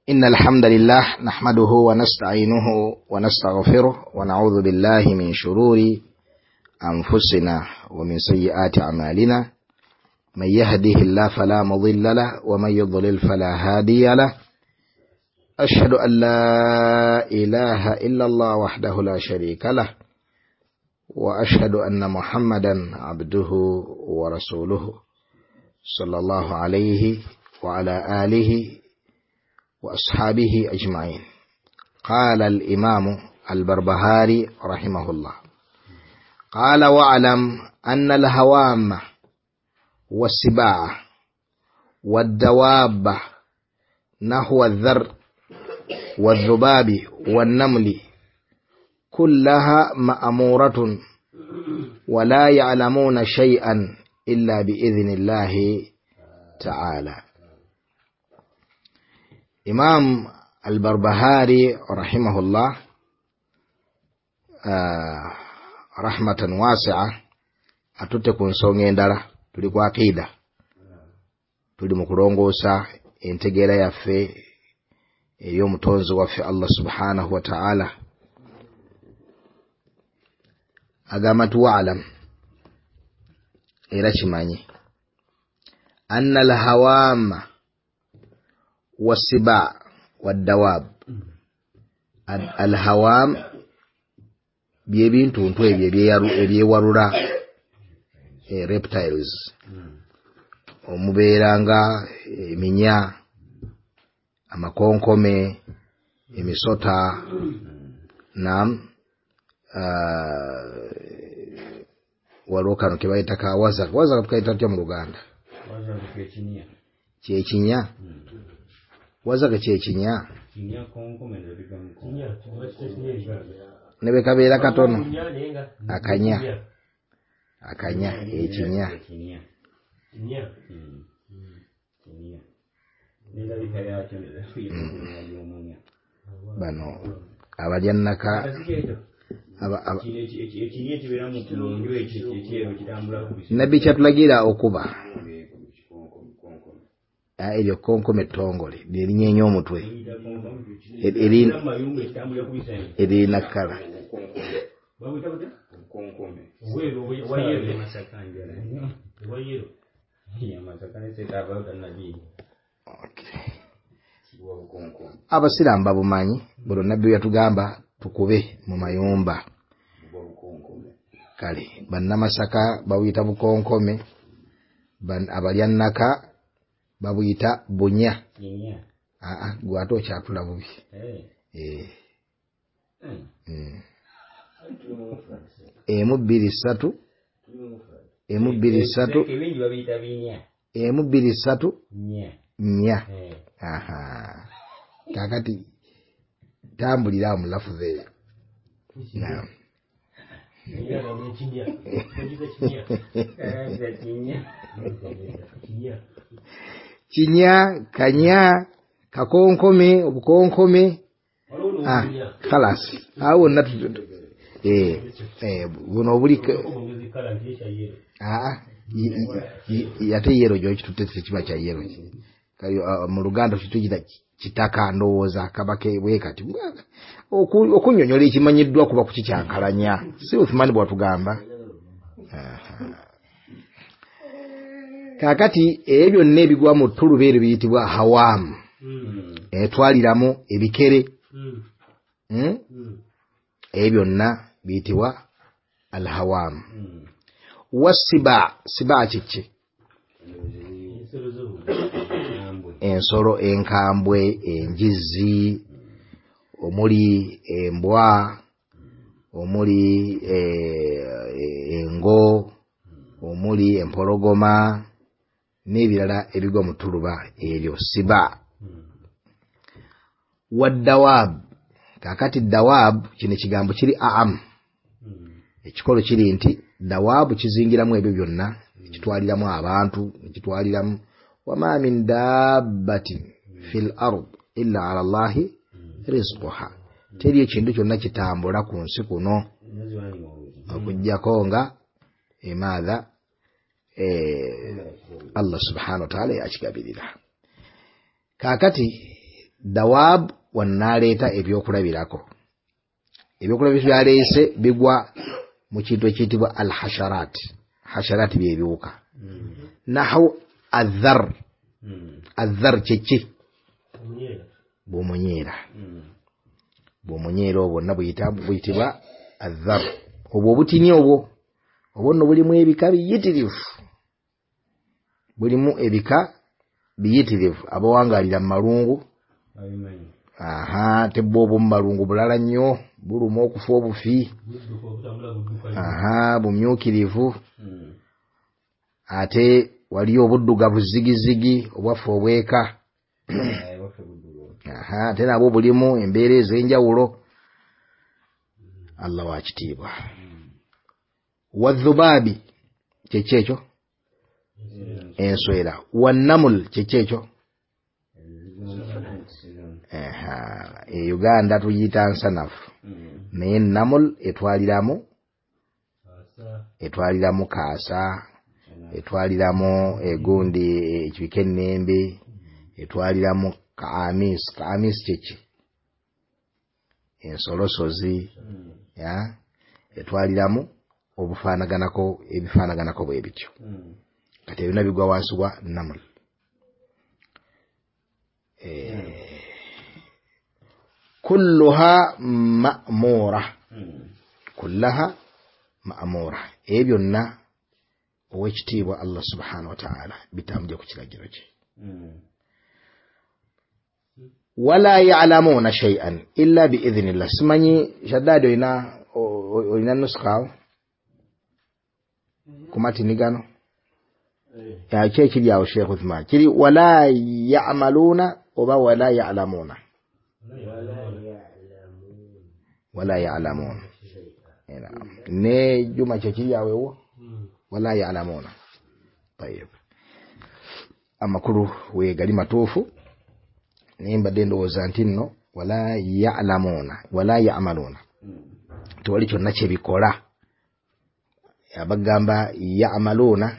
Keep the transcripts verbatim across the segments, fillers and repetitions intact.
إن الحمد لله نحمده ونستعينه ونستغفره ونعوذ بالله من شرور أنفسنا ومن سيئات أعمالنا من يهده الله فلا مضل له ومن يضلل فلا هادي له أشهد أن لا إله إلا الله وحده لا شريك له وأشهد أن محمدا عبده ورسوله صلى الله عليه وعلى آله وأصحابه أجمعين. قال الإمام البربهاري رحمه الله: قال واعلم أن الهوام والسباع والدواب نحو الذر والذباب والنمل كلها مأمورة ولا يعلمون شيئا إلا بإذن الله تعالى. إمام البربهاري رحمه الله آه رحمة واسعة atutte ku nsonga endala. Tuli ku akida, tuli mu kulongoosa entegeera yaffe eri omutonzi waffe Allah subhanahu wa ta'ala. Agamba nti waalam, era kimanyi, anna alhawama wasiba waddawab. Alhawam byebintuntu ebyo ebyewalula, reptiles, omubeera nga eminya, amakonkome, emisota, nam waliwo kano kebayita kawaza. Waza tukayita tutya mu Luganda? Kyekinya. Wazaga kyekinya ne bwe kabeera katono akanya akanya ekinya. Bano abalya nnaka nabbi kyatulagira okuba eryo konkome ettongole lyerinyeenya omutwe erina kkala. Abasiraamu babumanyi, buli nabbi yatugamba tukube mu mayumba. Kale bannamasaka babuyita bukonkome, abalya nnaka babuyita bunya. Aa, gwe ate okyatula bubi. Emu bbiri ssatu, emu bbiri ssatu, emu bbiri ssatu nnya. Aha, kaakati tambulira awo mu lafuzi eyo. Naam. Kinya, kanya, kakonkome, obukonkome. Ah, khalas. Awo wonna eh eh buno obuli ah ate yero gy'okitutte tekiba kya yero. Kale mu Luganda tukiyita kitaka, ndowooza kabake bwe kati. Okunnyonnyola ekimanyiddwa kuba kukikyankalanya, si Uthmani bw'atugamba. Kaakati ebyo byonna ebigwa mu ttuluba eryo biyitibwa hawaamu, etwaliramu ebikere, ebyo byonna biyitibwa alhawaamu. Wasiba, siba kiki? Ensolo enkambwe, enjizi, omuli embwa, omuli engo, omuli empologoma n'ebirala ebigwa mu ttuluba eryo siba. Waddawab, kaakati dawab kino ekigambo kiri aamu. Ekikolo kiri nti dawaabu kizingiramu ebyo byonna, kitwaliramu abantu, kitwaliramu wama min dabbatin fil ard illa ala Allahi rizquha. Teri ekintu kyonna kitambula ku nsi kuno okuggyako nga emaatha Allah subhanahu wa ta'ala yakigabirira. Kaakati Dawab wanaaleeta ebyokulabirako. Ebyokulabirako byaleese bigwa mu kintu ekiyitibwa al-hasharat. Hasharat byebiwuka. Nahu adhar. Adhar kyeki? Bumunyeera. Bumunyeera obwo nabuyita buyitibwa adhar. Obwo obutini obwo obwo nno bulimu ebika biyitirivu. Bulimu ebika biyitirivu. Abawangaalira mu malungu. Aha, tebbo obwo mu malungu bulala nnyo, buluma okufa obufi. Aha, bumyukirivu. Ate waliyo obuddugavu zigizigi obwaffe obweka. Aha, ate nabwo bulimu embeera ez'enjawulo. Allah wa kitiibwa. Wadhubaabi kyeki ekyo? Enswera. Wannamul kyeki ekyo? Aha, e Uganda tuyita nsanafu. Naye namul etwaliramu etwaliramu kaasa, etwaliramu egundi ekibika ennembe, etwaliramu kaamis. Kaamis kyeki? Ensolosozi. Ya, etwaliramu obufaanaganako ebifaanaganako bwe bityo. Kati ebyo bigwa wansi wa namul. Eh, kulluha ma'mura. Kullaha ma'mura. Ebyo byonna owekitiibwa Allah subhanahu wa ta'ala bitambulira ku kiragiro kye. Wala ya'lamuna shay'an illa bi'idhnillah. Simanyi Shaddad olina olina nuskha ku matini gano? Ya ki ekiri awo Sheikh Uthman? Kiri wala ya'maluna oba wala ya'lamuna? Wala ya'lamun. Ne Juma kyekiri awo ewo? Wala ya'lamuna. Tayyib. Amakulu wegali matuufu. Naye mbadde ndowooza nti nno wala ya'lamuna wala ya'maluna, tewali kyonna kyebikola. Abagamba ya'maluna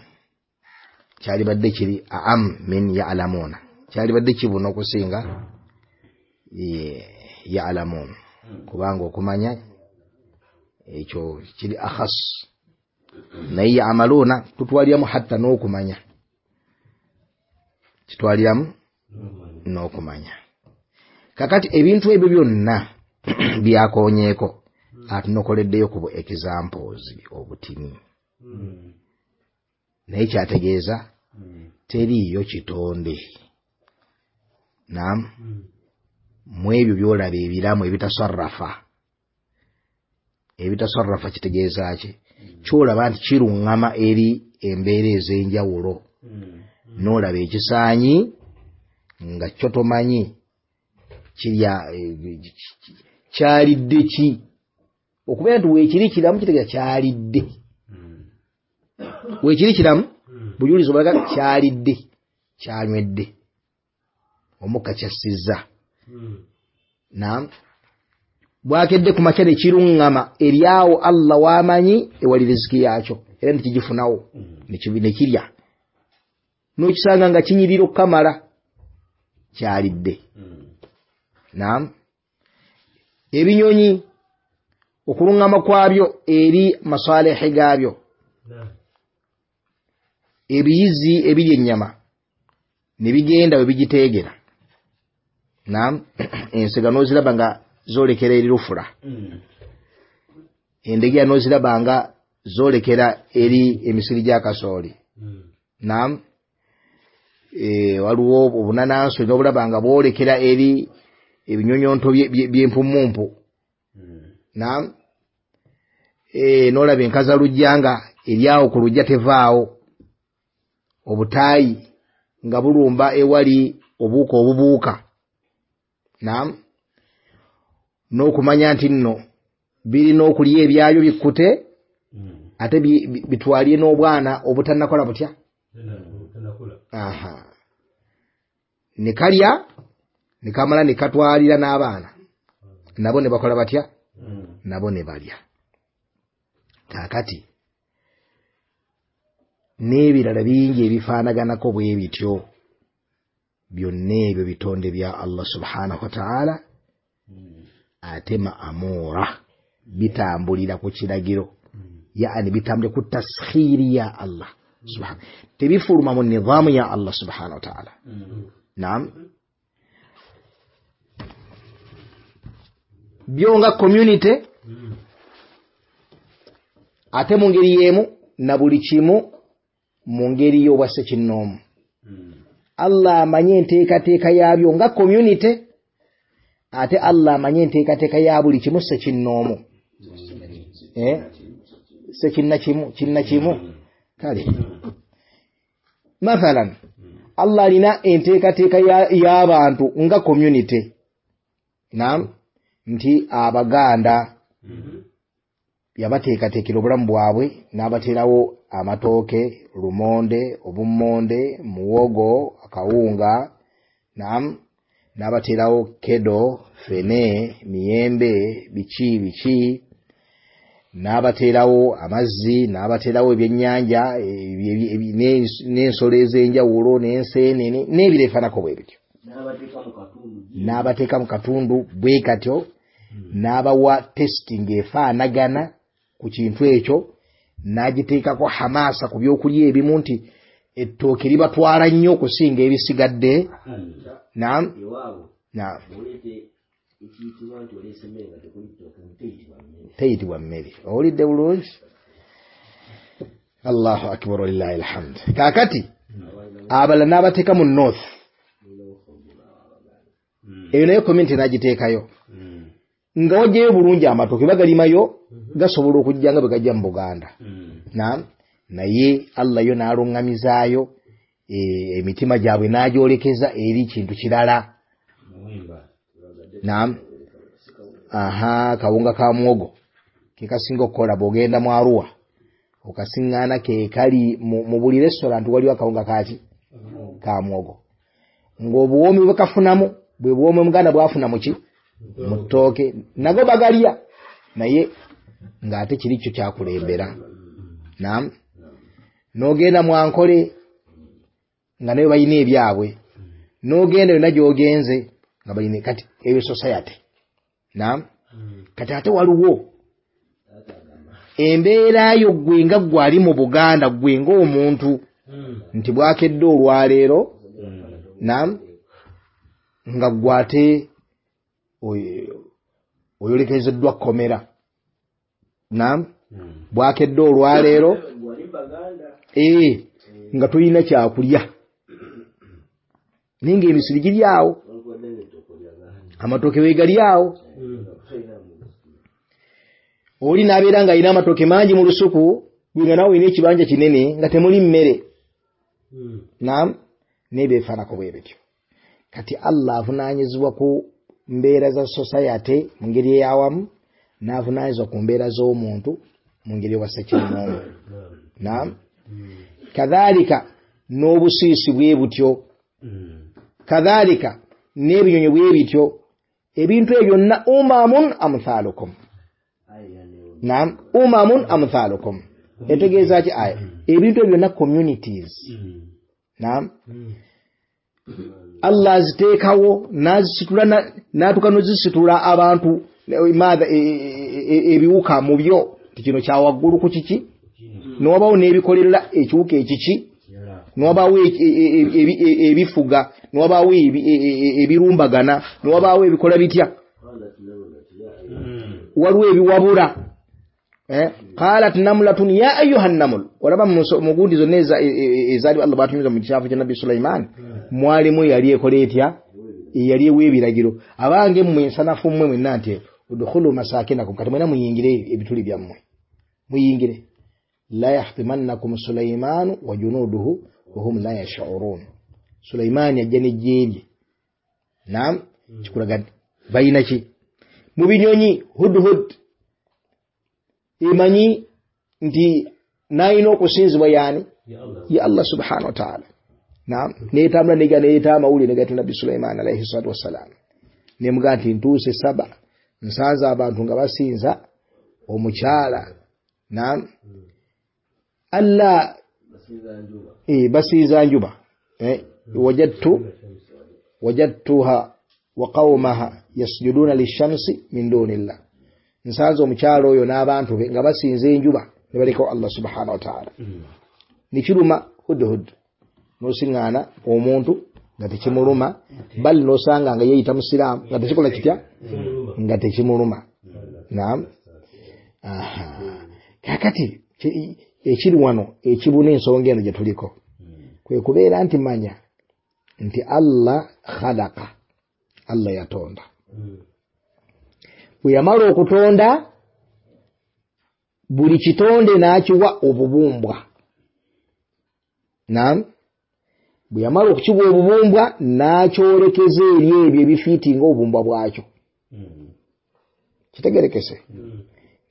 kyalibadde kiri a'am min ya'lamuna, kyalibadde kibuna okusinga ya'lamun, kubanga okumanya ekyo kiri akhas. Naye ya'maluna tutwaliramu hatta n'okumanya, kitwaliramu n'okumanya. Kakati ebintu ebyo byonna byakonyeeko atunokoleddeyo ku bu examples obutini. Naye kyategeeza teriiyo kitonde. Naam, mu ebyo by'olaba ebiramu ebitasarrafa. Ebitasarrafa kitegeeza ki? Ky'olaba nti kiruŋŋama eri embeera ez'enjawulo. N'olaba ekisaanyi nga kyo tomanyi kirya kyalidde ki. Okubeera nti weekiri kiramu kitegeeza kyalidde. Weekiri kiramu bujulizi obulaga kyalidde, kyanywedde, omukka kyassizza. Naam, bwakedde ku makya ne kiruŋŋama eri awo Allah w'amanyi ewali riziki yakyo, era ne kigifunawo ne kirya. N'okisanga nga kinyirira okukamala, kyalidde. Naam, ebinyonyi okuluŋŋama kwabyo eri masalehe gaabyo. Ebiyizi ebirya ennyama ne bigenda we bigiteegera. Naam, ensega n'oziraba nga zoolekera eri lufula. Endegeya n'oziraba nga zoolekera eri emisiri gya kasooli. Naam, e, waliwo obunanansi n'obulaba nga bwolekera eri ebinyonyonto by'empumumpu. Naam, e, n'olaba enkazalujja nga eri awo ku lujja tevaawo. Obutaayi nga bulumba ewali obuuka obubuuka. Naam, n'okumanya nti nno birina okulya ebyayo bikkute, ate bitwalye n'obwana obutannakola butya. Aha, ne kalya ne kamala ne katwalira n'abaana nabo ne bakola batya? Nabo ne balya. Kaakati n'ebirala bingi ebifaanaganako bwe bityo Byonna ebyo bitonde bya Allah subhanahu wa ta'ala, ate ma'amura bitambulira ku kiragiro, yaani bitambulira ku taskhiri ya Allah subhanahu, tebifuluma mu nidhamu ya Allah subhanahu wa ta'ala. Naam, byo nga community, ate mu ngeri y'emu na buli kimu mu ngeri y'obwassekinnoomu. Allah amanye enteekateeka yaabyo nga community, ate Allah amanye enteekateeka ya buli kimu ssekinnoomu. Eh, ssekinna kimu kinna kimu. Kale mathalan Allah alina enteekateeka y'abantu nga community. Naam, nti Abaganda yabateekateekera obulamu bwabwe n'abateerawo amatooke, lumonde, obummonde, muwogo, akawunga. Naam, n'abateerawo kedo, fene, miyembe, biki biki, n'abateerawo amazzi, n'abateerawo ebyennyanja, n'ensolo ez'enjawulo, n'enseenene n'ebiro ebifaananako bwe bityo, n'abateeka mu katundu bwe katyo, n'abawa testing efaanagana ku kintu ekyo, n'agiteekako hamasa ku byokulya ebimu nti ettooke libatwala nnyo okusinga ebisigadde. Naam, naam, teyitibwa mmere. Owulidde bulungi? Allahu akbar, walillahi alhamd. Kaakati abalala n'abateeka mu north, eyo nayo community n'agiteekayo nga wajjayo bulungi amatooke bagalimayo, gasobola okujja nga bwe gajja mu Buganda. Naam, naye Allah yo n'aluŋŋamizaayo emitima gyabwe n'agyolekeza eri kintu kirala. Naam, aha, kawunga ka muwogo ke kasinga okukola bw'ogenda mu Arua okasiŋŋaana ke kali mu buli restaurant waliwo akawunga kaki ka muwogo, ng'obuwoomi bwe kafunamu bwe buwoomi Omuganda bw'afuna mu ki mu ttooke, nago bagalya naye ng'ate kiri kyo kyakulembera. Naam, n'ogenda mu Ankole nga nayo balina ebyabwe, n'ogenda yonna gy'ogenze nga balina. Kati eyo society. Naam, kati ate waliwo embeera yo ggwe nga ggwe ali mu Buganda, ggwe ng'omuntu nti bwakedde olwaleero. Naam, nga ggwe ate oyolekezeddwa kkomera. Naam, bwakedde olwaleero ee nga tolina kyakulya, naye ng'emisiri giri awo, amatooke weegali awo. Oli n'abeera ng'alina amatooke mangi mu lusuku, gwe nga naawe olina ekibanja kinene nga temuli mmere. Naam, n'ebyefaanako bwe bityo. Kati Allah avunaanyizibwa ku mbeera za society mu ngeri ey'awamu, n'avunaanyizibwa ku mbeera z'omuntu mu ngeri ey'obwassekinnoomu. Naam, kadhalika n'obusiisi bwe butyo, kadhalika n'ebinyonyi bwe bityo. Ebintu ebyo byonna umamun amthalukum. Naam, umamun amthalukum etegeeza ki aya? Ebintu ebyo byonna communities. Naam, Allah aziteekawo n'azisitula, n'atuuka n'ozisitula abantu maatha ebiwuka mu byo nti kino kya waggulu ku kiki, n'wabaawo n'ebikolerera ekiwuka ekiki, n'wabaawo ebifuga, n'wabaawo ebirumbagana, n'wabaawo ebikola bitya, waliwo ebiwabula. Qalat namlatun ya ayyuha namul. Olaba mu gundi zonna ezaali Allah batunyuza mu kyafu kya Nabbi Sulaiman, mwalimu yali ekola etya? Eyali ewa ebiragiro, abange mmwe ensanafu mmwe mwenna nti udkhulu masakinakum, kati mwenna muyingire ebituli byammwe, muyingire. La yahtimannakum Sulaimanu wa junuduhu wa hum la yash'urun. Sulaimani ajja n'eggye lye. Naam, kikulaga balina ki mu binyonyi? Hudhud emanyi nti n'alina okusinzibwa yaani ya Allah subhanahu wa ta'ala. Naam, n'etambula nega n'ereeta amawulire negatta Nabbi Sulaiman alayhi salatu wassalam, nemugaa nti ntuuse saba nsanze abantu nga basinza omukyala. Naam, alla eh basinza njuba, eh wajadtu wajadtuha wa qawmaha yasjuduna lishamsi min dunillah, nsanze omukyalo oyo n'abantu be nga basinza enjuba ne balekawo Allah subhanahu wa ta'ala. Nikiruma hudhud, n'osiŋŋaana omuntu nga tekimuluma, bali n'osanga nga yeeyita musiraamu nga tekikola kitya, nga tekimuluma. Naam. Aha, kakati ekiri wano ekibuna ensonga eno gye tuliko kwe kubeera nti manya nti Allah khalaqa, Allah yatonda. Bwe yamala okutonda buli kitonde n'akiwa obubumbwa. Naam, bwe yamala okukiwa obubumbwa n'akyolekeza eri ebyo ebifiitinga obubumbwa bwakyo. Kitegerekese?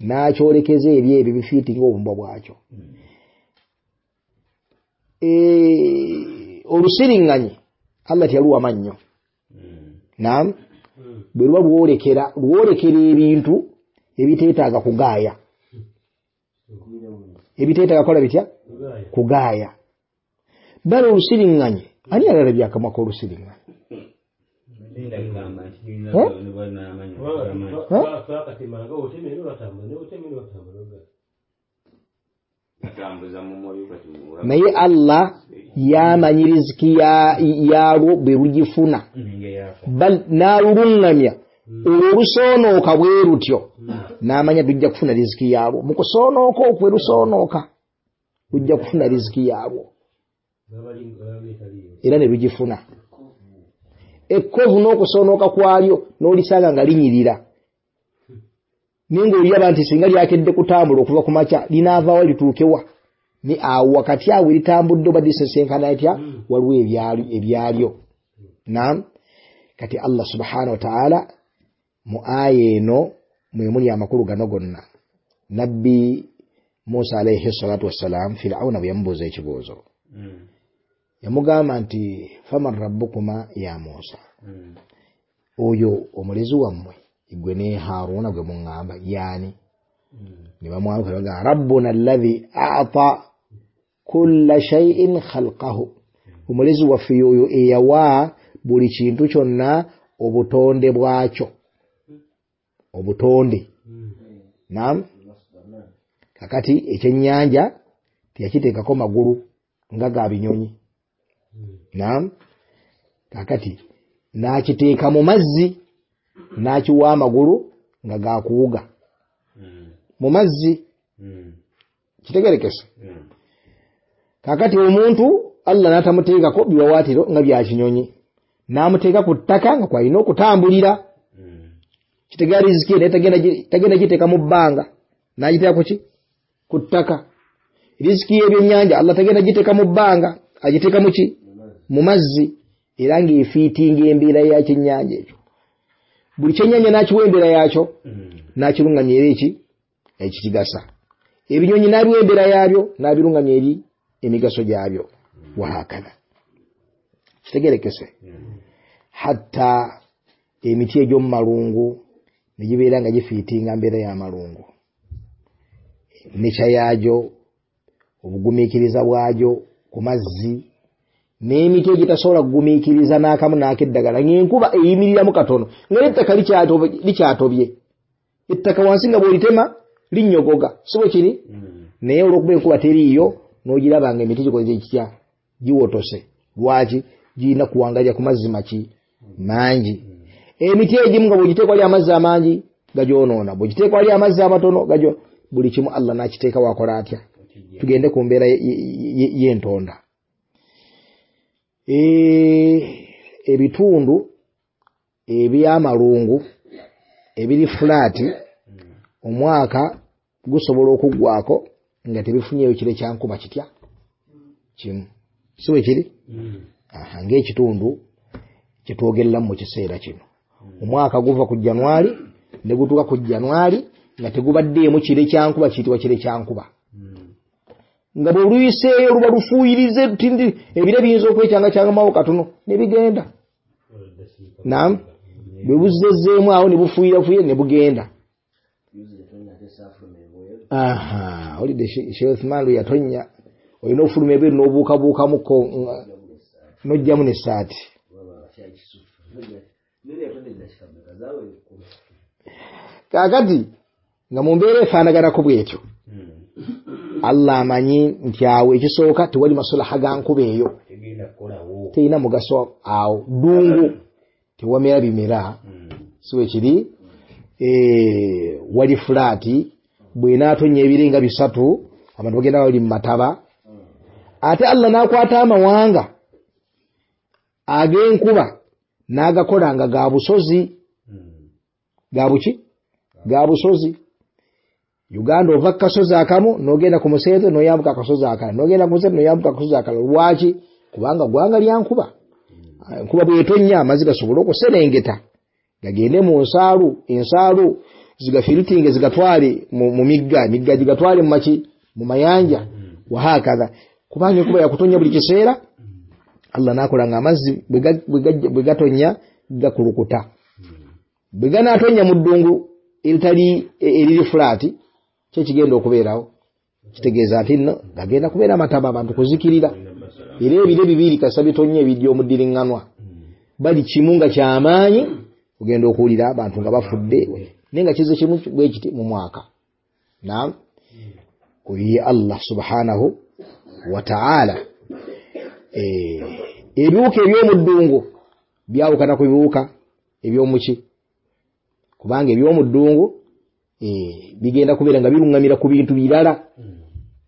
N'akyolekeza eri ebyo ebifiitinga obubumbwa bwakyo. Olusiriŋŋanyi Allah teyaluwa mannyo. Naam, bwe luba lwolekera lwolekera ebintu ebiteetaaga kugaaya, ebiteetaaga kukola bitya, kugaaya. Bale olusiriŋŋanyi ani alalabye akamwa k'olusiriŋŋanyi? Naye Allah yamanyi riziki yalwo bwe lugifuna, n'aluluŋŋamya olwo olusoonooka bwe lutyo, n'amanya lujja kufuna riziki yalwo. Mu kusoonooka okwo lusoonooka lujja kufuna riziki yalwo, era ne lugifuna. Ekkovu n'okusoonooka kwalyo n'olisanga nga linyirira, naye ng'oliraba nti singa lyakedde kutambula okuva ku makya linaavaawo lituukewa, ni awo wakati awo litambudde oba lisesenkana etya, waliwo ebyalyo. Naam, kati Allah subhanahu wa ta'ala mu aya eno mwe muli amakulu gano gonna. Nabbi Musa alayhi salatu wassalam, Fir'auna bwe yamubuuza ekibuuzo yamugamba nti faman rabbukuma ya Musa, oyo omulezi wammwe gwe ne Haruna gwe muŋŋamba yaani? Ne bamwanukula bagamba rabbuna alladhi a'ta kulla shay'in khalqahu, omulezi waffe yoyo eyawa buli kintu kyonna obutonde bwakyo, obutonde. Naam, kakati ekyennyanja teyakiteekako magulu nga ga binyonyi. Naam, kakati n'akiteeka mu mazzi n'akiwa amagulu nga gakuwuga mu mazzi. Kitegerekese? Kakati omuntu Allah n'atamuteekako biwawaatiro nga bya kinyonyi, n'amuteeka ku ttaka nga kwalina okutambulira. Kitegeera riziki naye tagenda giteeka mu bbanga, n'agiteeka ku ki? Ku ttaka. Riziki y'ebyennyanja Allah tagenda giteeka mu bbanga, agiteeka mu ki? Mu mazzi, era ng'efiitinga embeera ya kyennyanja ekyo. Buli kyennyanja n'akiwa embeera yakyo, n'akiruŋŋamya eri eki ekikigasa. Ebinyonyi n'abiwa embeera yaabyo, n'abiruŋŋamya eri emigaso gyabyo. Wahakadha. Kitegerekese? Hatta emiti egy'omu malungu ne gibeera nga gifiitinga mbeera y'amalungu, nekya yaagyo, obugumiikiriza bwagyo ku mazzi, n'emiti egitasobola kugumiikiriza n'akamu n'akeddagala, ng'enkuba eyimiriramu katono nga n'ettaka likyatobye, ettaka wansi nga bw'olitema linnyogoga, si bwe kiri? Naye olw'okuba enkuba teriiyo n'ogiraba nga emiti gikoze kitya, giwotose. Lwaki? Girina kuwangalira ku mazzi maki mangi. Emiti egimu nga bw'ogiteeka wali amazzi amangi gagyonoona, bw'ogiteeka wali amazzi amatono gagyo. Buli kimu Allah n'akiteeka wakola atya. Tugende ku mbeera y'entonda. Ebitundu ebyamalungu ebiri fulaati omwaka gusobola okuggwako nga tebifunyeeyo kire kya nkuba kitya kimu, si bwe kiri? Aha, ng'ekitundu kyetwogereramu mu kiseera kino, omwaka guva ku Januari ne gutuuka ku Januari nga tegubaddeemu kire kya nkuba kiyitibwa kire kya nkuba. Nga bwe luyiseeyo luba lufuuyirize tindi ebire biyinza okwekyangakyangamawo katono ne bigenda. Naam, bwe buzzezeemu awo ne bufuuyirafuuyira ne bugenda. Aha, olidde Sheikh Uthman lwe yatonnya olina ofuluma ebweru n'obuukabuukamuko n'ojjamu n'essaati. Kaakati nga mu mbeera efaanaganako bwetyo, Allah amanyi nti awo ekisooka tewali masulaha ga nkuba eyo, terina mugaso awo, ddungu tewamera bimera, si bwe kiri? Wali fulaati, bw'enaatonya ebire nga bisatu abantu bagenda bali mu mataba. Ate Allah n'akwata amawanga ag'enkuba n'agakola nga ga busozi, ga buki? Ga busozi. Uganda ova ku kasozi akamu n'ogenda ku museetwe n'oyambuka akasozi akalala, n'ogenda ku museetwe n'oyambuka akasozi akalala. Lwaki? Kubanga ggwanga lya nkuba. Enkuba bw'etonnya amazzi gasobole okuserengeta gagende mu nsaalu, ensaalu zigafiritinge zigatwale mu migga, emigga gigatwale mu maki, mu mayanja, wahakadha. Kubanga enkuba yakutonya buli kiseera, Allah n'akola nga amazzi bwe gatonya gakulukuta. Bwe ganaatonya mu ddungu eritali eriri fulaati, ki ekigenda okubeerawo? Kitegeeza nti nno gagenda kubeera amataba, abantu kuzikirira. Era ebire bibiri kasita bitonnya ebijja omuddiriŋŋanwa, bali kimu nga kyamaanyi, ogenda okuwulira abantu nga bafudde, naye nga kize kimu bwe kiti mu mwaka. Naam, oyo ye Allah subhanahu wa ta'ala. Ebiwuka eby'omuddungu byawukana ku biwuka eby'omuki, kubanga eby'omuddungu bigenda kubeera nga biruŋŋamira ku bintu birala,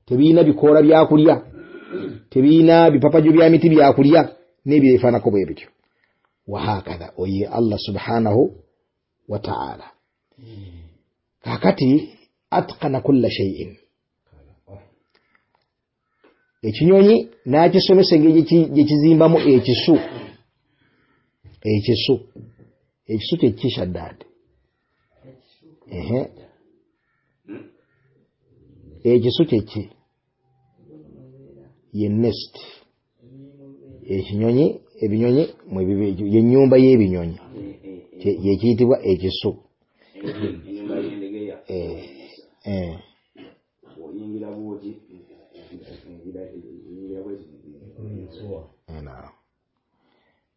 tebirina bikoola byakulya, tebirina bipapajo bya miti byakulya, n'ebyefaanako bwe bityo. Wahakadha, oye Allah subhanahu wa ta'ala. Kaakati atqana kulla shay'in, ekinyonyi n'akisomesa engeri gye kizimbamu ekisu. Ekisu ekisu kye ki Shaddad? Ehe, ekisu kye ki? Ye nest. Ekinyonyi, ebinyonyi ye nnyumba y'ebinyonyi ye kiyitibwa ekisu.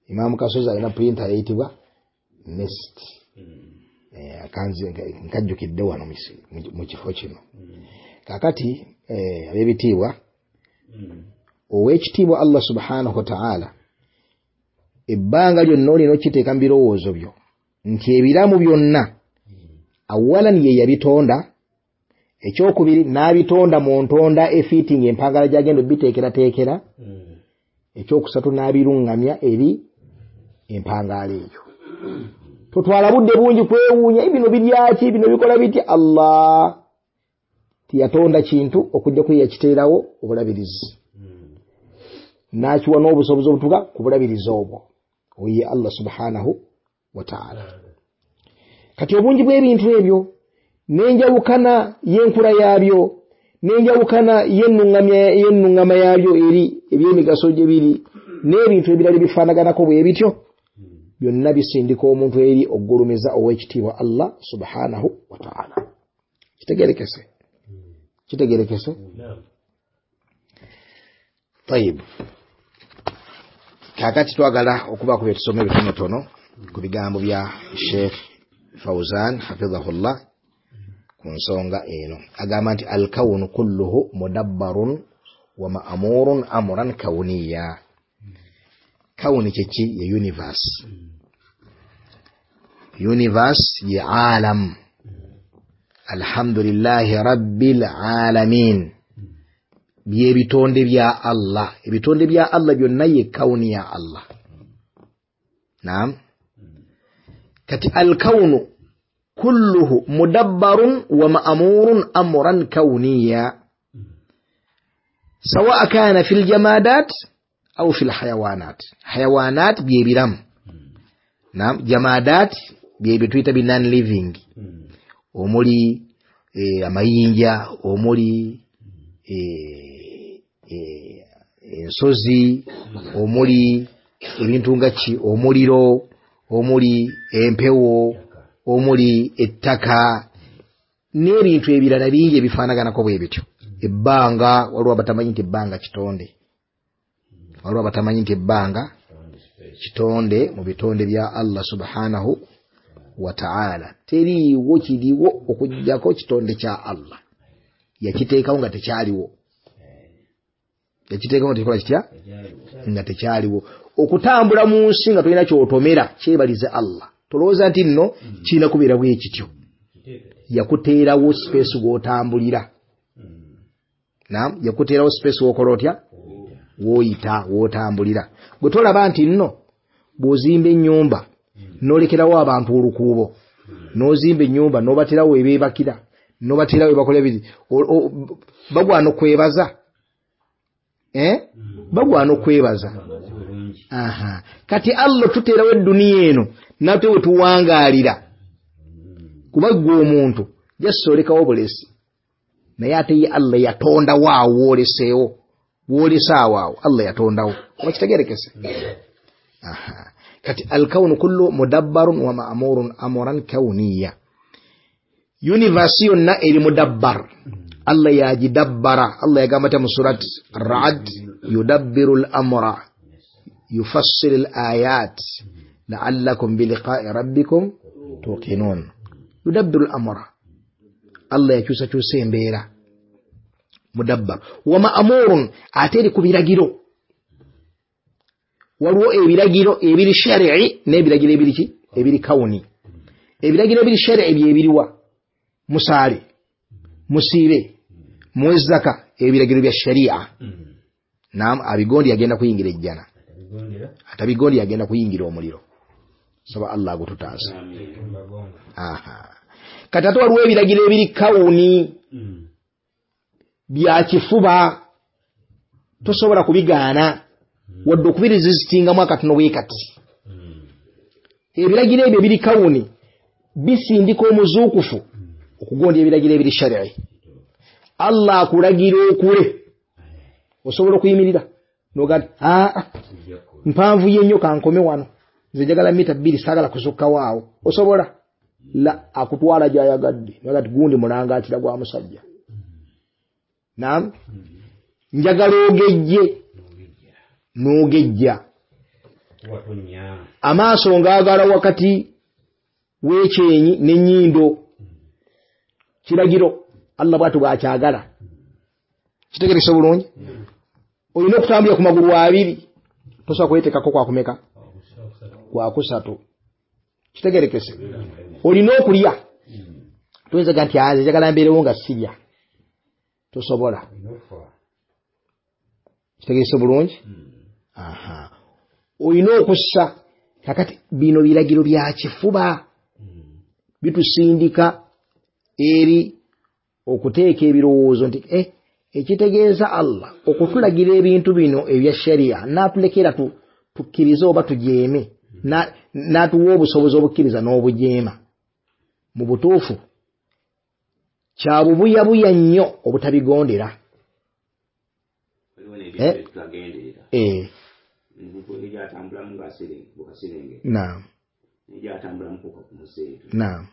Imaamu Kasozi alina printer eyitibwa nest. Nkajjukidde wano mu kifo kino. Kaakati ab'ebitiibwa, ow'ekitiibwa Allah subhanahu wa ta'ala, ebbanga lyonna olina okiteeka mu birowoozo byo nti ebiramu byonna awalan ye yabitonda, ekyokubiri n'abitonda mu ntonda efiitinga empangala gy'agenda obiteekerateekera, ekyokusatu n'abiruŋŋamya eri empangaala eyo. Totwala budde bungi kwewuunya bino biryaki, bino bikola bitya. Allah tiyatonda kintu okujjako ye yakiteerawo obulabirizi, n'akiwa n'obusobozi obutuuka ku bulabirizi obwo. Oyo ye Allah subhanahu wa ta'ala. Kati obungi bw'ebintu ebyo n'enjawukana y'enkula yaabyo n'enjawukana y'ennuŋŋama yaabyo eri eby'emigaso gye biri n'ebintu ebirala ebifaanaganako bwe bityo, byonna bisindika omuntu eri okugulumiza ow'ekitiibwa Allah subhanahu wa ta'ala. Kitegerekese? Kitegerekese? Tayib. Kaakati twagala okubaako bye tusoma ebitonotono ku bigambo bya Sheikh Fauzan hafidhahullah ku nsonga eno. Agamba nti alkawunu kulluhu mudabbarun wa ma'murun amran kawuniya. Kawuni kyeki? Ye universe. Universe ye alam. Alhamdulillahi rabbil alamin, byebitonde bya Allah. Ebitonde bya Allah byonna ye kawuni ya Allah. Naam. Kati alkawunu kulluhu mudabbarun wa ma'murun amran kawniya, sawa kana fil jamadat au fil hayawanat. Hayawanat byebiramu. Naam. Jamadat byebituyita bi non living, omuli eh, amayinja, omuli eh, eh, ensozi, omuli ebintu nga ki, omuliro, omuli empewo, omuli ettaka n'ebintu ebirala bingi ebifaanaganako bwe bityo. Ebbanga, waliwo abatamanyi nti ebbanga kitonde, waliwo abatamanyi nti ebbanga Kitonde mu bitonde bya Allah subhanahu wa ta'ala. Teriiwo kiriwo okuggyako kitonde kya Allah. Yakiteekawo nga tekyaliwo. Yakiteekawo nga tekikola kitya? Nga tekyaliwo. Okutambula mu nsi nga tolina ky'otomera kyebalize Allah. Tolowooza nti nno kirina kubeera bwe kityo. Yakuteerawo space w'otambulira. Naam, yakuteerawo space w'okola otya? W'oyita, w'otambulira. Gwe tolaba nti nno bw'ozimba ennyumba n'olekerawo abantu olukuubo, n'ozimba ennyumba n'obaterawo ebeebakira, n'obaterawo ebakola ebiri, bagwana okwebaza. Eh? Bagwana okwebaza. Aha. Kati Allah tuteerawo edduniya eno nate we tuwangaalira. Kuba ggwe omuntu just olekawo bulesi. Naye ate ye Allah yatondawo awo w'oleseewo. W'olese awo awo Allah yatondawo. Oba kitegeerekese? Aha. Kati alkaunu kullu mudabbarun wa ma'murun amran kauniya. Universe yonna eri mudabbar. Allah yagidabbara. Allah yagamba ta mu surat Ar-Ra'd, yudabbiru al-amra yufassilu al-ayat la'allakum biliqa'i rabbikum tuqinun. Yudabbiru al-amra. Allah yakyusakyusa embeera. Mudabbar wa ma'murun, ate eri ku biragiro. Waliwo ebiragiro ebiri shari'i n'ebiragiro ebiri ki? Ebiri kawuni. Ebiragiro ebiri shari'i byebiriwa? Musaale, musiibe, muwe zaka, ebiragiro bya sharia. Naam, abigondi yagenda kuyingira ejjana, atabigondi yagenda kuyingira omuliro. Saba Allah agututaasa. Aha. Kati ate waliwo ebiragiro ebiri kawuni bya kifuba, tosobola kubigaana wadde okubirezizitingamu akatono bwe kati. Ebiragiro ebyo ebiri kawuni bisindika omuzuukufu okugonda ebiragiro ebiri shari'i. Allah akulagira okule, osobola okuyimirira n'ogaa nti aa mpanvu ye nnyo kankome wano, nze njagala mita bbiri saagala kusukkawo awo. Osobola? La, akutwala gy'ayagadde. N'ogaa nti gundi mulangaatira gwa musajja. Naam, njagala ogejje, n'ogejja. Amaaso ngaagala wakati w'ekyenyi n'ennyindo. Kiragiro Allah bw'atyo bw'akyagala. Kitegeerese bulungi? Olina okutambulira ku magulu abiri, tosobola kweteekako kwakumeka kwakusatu. Kitegeerekese? Olina okulya, toyinza ga nti nze njagala mbeerewo nga sirya, tosobola. Kitegeerese bulungi? Aha. Olina okussa. Kakati bino biragiro bya kifuba bitusindika eri okuteeka ebirowoozo nti eh, ekitegeeza Allah okutulagira ebintu bino ebya sharia n'atulekera tukkirize oba tujeeme, n'atuwa obusobozi obukkiriza n'obujeema. Mu butuufu kya bubuyabuya nnyo obutabigondera. Eh? Eh. Naam. Naam.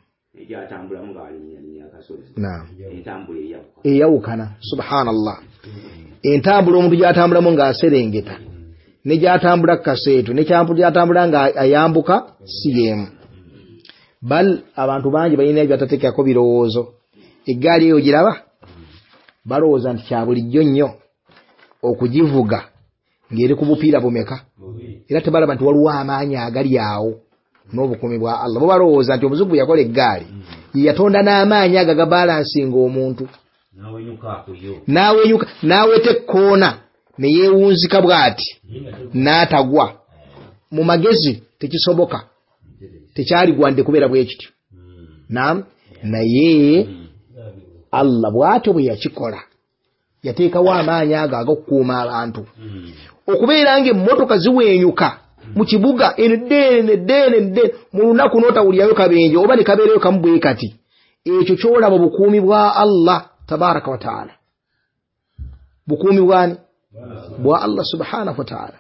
Naam. Eyawukana. Subhanallah. Entambula omuntu gy'atambulamu ng'aserengeta ne gy'atambula ku kaseetu ne gy'atambula ng'ayambuka si y'emu. Bal abantu bangi balina byatateekako birowoozo. Eggaali eyo giraba balowooza nti kya bulijjo nnyo okugivuga ng'eri ku bupiira bumeka, era tebalaba nti waliwo amaanyi agali awo n'obukuumi bwa Allah. Bo balowooza nti omuzungu yakola eggaali ye yatonda n'amaanyi ago agabalansinga omuntu, n'awenyuka n'aweta ekkoona ne yeewunzika bw'ati n'atagwa. Mu magezi tekisoboka, tekyaligwande kubeera bwe kityo. Naam, naye Allah bw'atyo bwe yakikola, yateekawo amaanyi ago ag'okukuuma abantu. Okubeera ng'emmotoka ziweenyuka mu kibuga eno ddeene ddeene ddeene mu lunaku n'otawulirayo kabenje oba ne kabeerayo kamu bwe kati, ekyo ky'olaba bukuumi bwa Allah tabaraka wa taala. Bukuumi bwani? Bwa Allah subhanahu wa taala.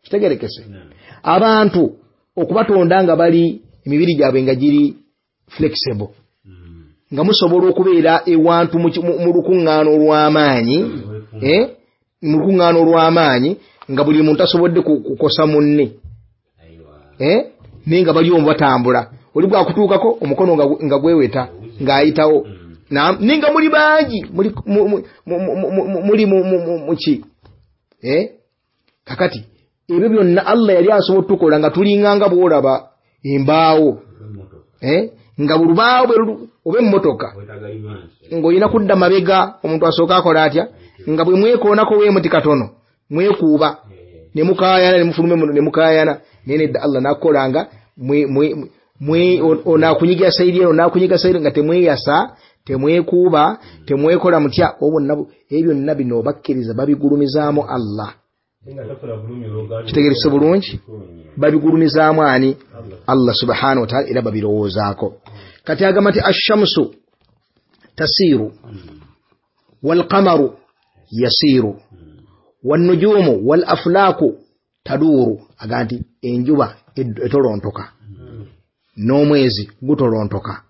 Kitegeerekese? Abantu okubatonda nga bali emibiri gyabwe nga giri flexible, nga musobola okubeera ewantu mu lukuŋŋaana olw'amaanyi, eh? Mu lukuŋŋaana olw'amaanyi nga buli muntu asobodde kukosa munne. eh naye nga bali omu batambula oli bwakutuukako omukono nga gweweta ng'ayitawo naye nga muli bangi muli muki eh kakati ebyo byonna Allah yali asobola otukola nga tulinganga bw'olaba embaawo eh nga bulubaawo oba emmotoka ng'olina kudda mabega omuntu asooka akola atya nga bwe mwekoonako weemuti katono mwekuuba ne mukaayana ne mufulume ne mukaayana naye nedda Allah n'akukolanga onaakunyiga sayidi eno onaakunyiga sayidi nga temweyasa temwekuuba temwekola mutya obwonna ebyo byonna bino bakkiriza babigulumizaamu Allah kitegeerese bulungi babigulumizaamu ani Allah subhanahu wa ta'ala era babirowoozaako kati agamba nti ashamsu tasiiru walqamaru yasiiru wannujumu wal aflaaku taduuru aga nti enjuba etolontoka n'omwezi gutolontoka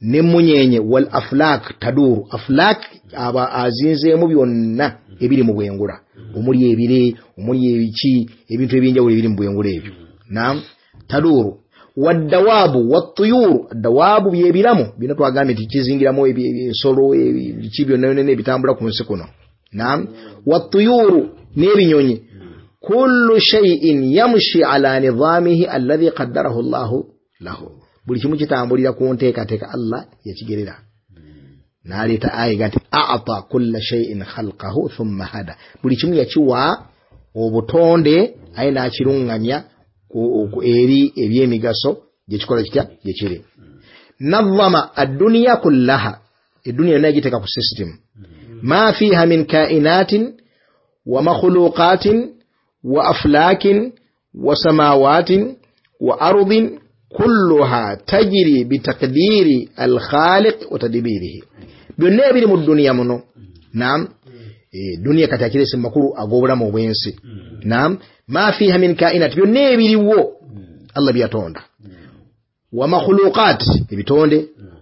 n'emmunyeenye wal aflaak taduuru aflaak aba azinzeemu byonna ebiri mu bwengula omuli ebire omuli ebiki ebintu ebyenjawulo ebiri mu bwengula ebyo naam taduuru waddawaabu wattuyuuru addawaabu byebiramu bino twagambye nti kizingiramu ensolo ebiki byonna byonna ebitambula ku nsi kuno naam wattuyuuru n'ebinyonyi kullu shay'in yamshi ala nidhamihi alladhi qaddarahu Allahu lahu buli kimu kitambulira ku nteekateeka Allah yakigerera n'aleeta aya nti a'ta kulla shay'in khalqahu thumma hada buli kimu yakiwa obutonde aye n'akiruŋŋamya eri ebyemigaso gyekikola kitya gyekiri nadhama ad-dunya kullaha eduniya yonna yagiteeka ku system ma fiha min kainatin wa makhluqatin wa aflakin wa samawatin wa ardin kulluha tajri bitaqdiri al-khaliq wa tadbirihi byonna ebiri mu duniya muno naam e, duniya kati akirese makulu ag'obulamu obw'ensi naam ma fiha min kainat byonna ebiriwo Allah byatonda wa makhluqat ebitonde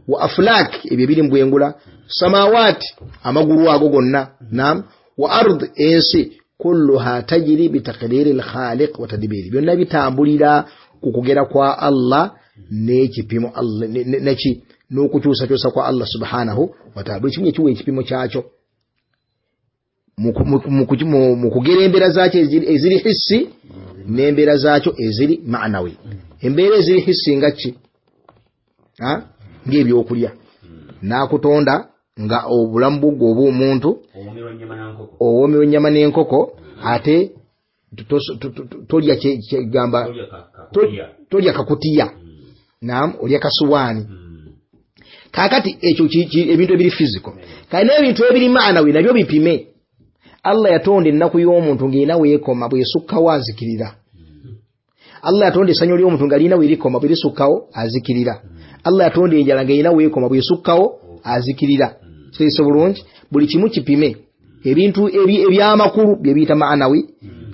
wa aflak ebyo ebiri mu bwengula samawat amagulu ago gonna naam wa ard ensi kulluha tajri bitaqdiri al-khaliq wa tadbirihi byonna bitambulira ku kugera kwa Allah n'ekipimo Allah neki n'okukyusakyusa kwa Allah subhanahu wa ta'ala buli kimu ekiwa ekipimo kyakyo mu kugera embeera zaakyo eziri hissi n'embeera zaakyo eziri ma'nawi embeera eziri hissi nga ki ng'ebyokulya n'akutonda nga obulamu bwo obw'omuntu owoomerwa ennyama n'enkoko ate tolya kyegamba tolya kakutiya naam olya kasuwaani kaakati ekyo ebintu ebiri physical kale n'ebintu ebiri ma'nawi nabyo bipime Allah yatonda ennaku y'omuntu ng'erina weekoma bw'esukkawo azikirira Allah yatonda essanyu ly'omuntu nga lirina weerikoma bwerisukkawo azikirira Allah yatonda enjala ng'erina weekoma bw'esukkawo azikirira kitegeese bulungi buli kimu kipime ebintu ebyamakulu bye biyita ma'nawi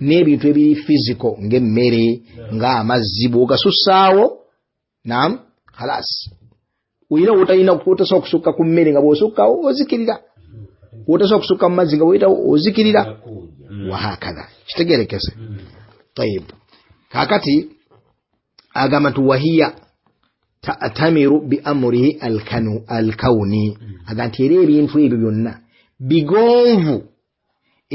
n'ebintu ebiri physical ng'emmere ng'amazzi bw'ogasussaawo naam khalas oyina wotalina wotasobola kusukka ku mmere nga bw'osukkawo ozikirira wotasobola kusukka mu mazzi nga bw'oyitawo ozikirira wahakadha kitegerekese tayib kaakati agamba nti wahiya ta'tamiru bi amrihi alkawni aga nti era ebintu ebyo byonna bigonvu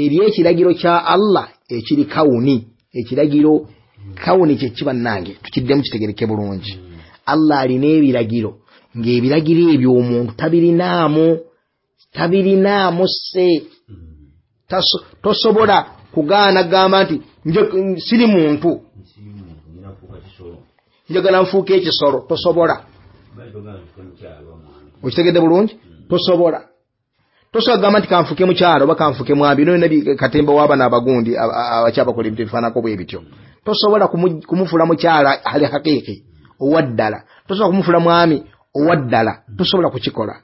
eri ekiragiro kya Allah ekiri kawuni ekiragiro kawuni kye kiba nange tukiddemu kitegereke bulungi Allah alina ebiragiro ng'ebiragiro ebyo omuntu tabirinaamu tabirinaamu se tosobola kugaana gamba nti siri muntu njagala nfuuke ekisolo tosobola okitegedde bulungi tosobola tosobola kugamba nti kanfuke mukyalo oba kanfuke mwami noyo nabi katemba w'abana abagundi abakyabakola ebintu ebifaananako bwe bityo tosobola kumufuula mukyala ali hakiiki owaddala tosobola kumufuula mwami owaddala tosobola kukikola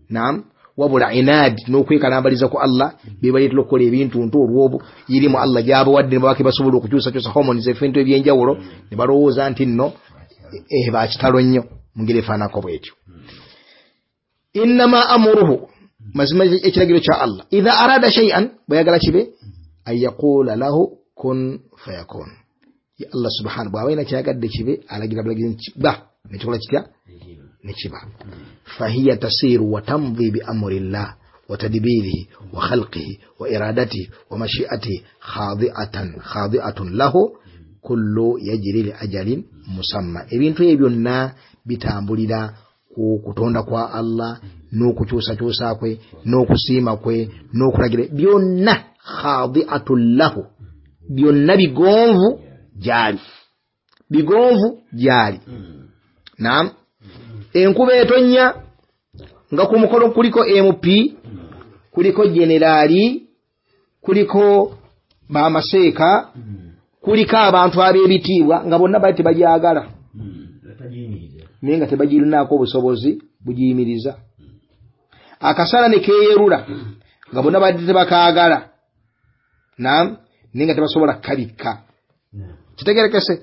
naam wabula inaadi n'okwekalambaliza ku Allah bebaleetera okukola ebintu ntu olw'obu irimu Allah gy'abawadde ne babake basobola okukyusakyusa hormones ebintu ebyenjawulo ne balowooza nti nno eh bakitalo nnyo mu ngeri efaananako bw'etyo innama amuruhu mazima ekiragiro kya Allah idha arada shay'an bw'ayagala kibe an yaqula lahu kun fayakun Ya Allah subhanahu bw'aba alina kyayagadde kibe alagira bulagizi nti ba nekikola kitya nekiba. Fahiya tasiru wa tamdhi bi amrillah wa tadbirihi wa khalqihi wa iradatihi wa mashi'atihi khadi'atan khadi'atun lahu kullu yajri li ajalin musamma. Ebintu ebyo byonna bitambulira ku kutonda kwa Allah n'okukyusakyusa kwe n'okusiima kwe n'okulagira byonna khadi'atun lahu, byonna bigonvu gyali, bigonvu gyali. Naam, enkuba etonnya nga ku mukono kuliko M P, kuliko generaali, kuliko bamaseeka, kuliko abantu ab'ebitiibwa nga bonna bali tebagyagala naye nga tebagirinaako obusobozi bugiyimiriza. Akasana ne keeyerula nga bonna bali tebakaagala, naam, naye nga tebasobola kukabikka. Kitegerekese?